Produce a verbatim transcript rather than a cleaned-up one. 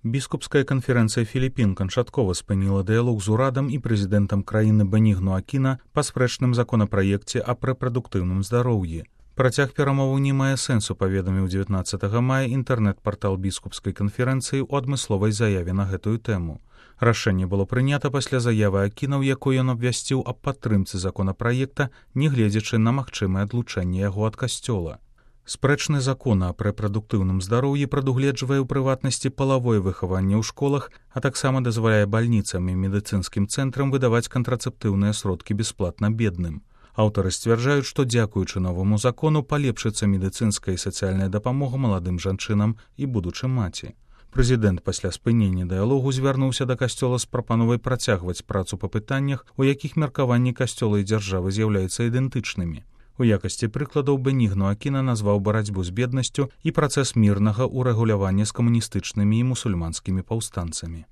Біскупская канферэнцыя Філіпін канчаткова спыніла дыялог з урадам і прэзідэнтам краіны Бенігну Акіна па спрэчным законапраекце аб рэпрадуктыўным здароўі. Працяг перамоваў не мае сэнсу, паведаміў дзевятнаццатага мая інтэрнэт-партал біскупскай канферэнцыі ў адмысловай заяве на гэтую тэму. Рашэнне было прынята пасля заявы Акіна, у якой ён абвясціў аб падтрымцы законапраекта, нягледзячы на магчымае адлучэнне яго ад касцёла. Спрэчны закон аб рэпрадуктыўным здароўі прадугледжвае ў прыватнасці палавое выхаванне ў школах, а таксама дазваляе бальніцам і медыцынскім цэнтрам выдаваць кантрацэптыўныя сродкі бясплатна бедным. Аўтары сцвярджаюць, што дзякуючы новаму закону палепшыцца медыцынская і сацыяльная дапамога маладым жанчынам і будучым маці. Прэзідэнт пасля спынення дыялогу звярнуўся да касцёла з прапановай працягваць працу па пытаннях, у якіх меркаванні касцёла і дзяржавы з'яўляюцца ідэнтычнымі. У якасці прыкладаў Бенігну Акіна назваў барацьбу з беднасцю і працэс мірнага ўрэгулявання з камуністычнымі і мусульманскімі паўстанцамі.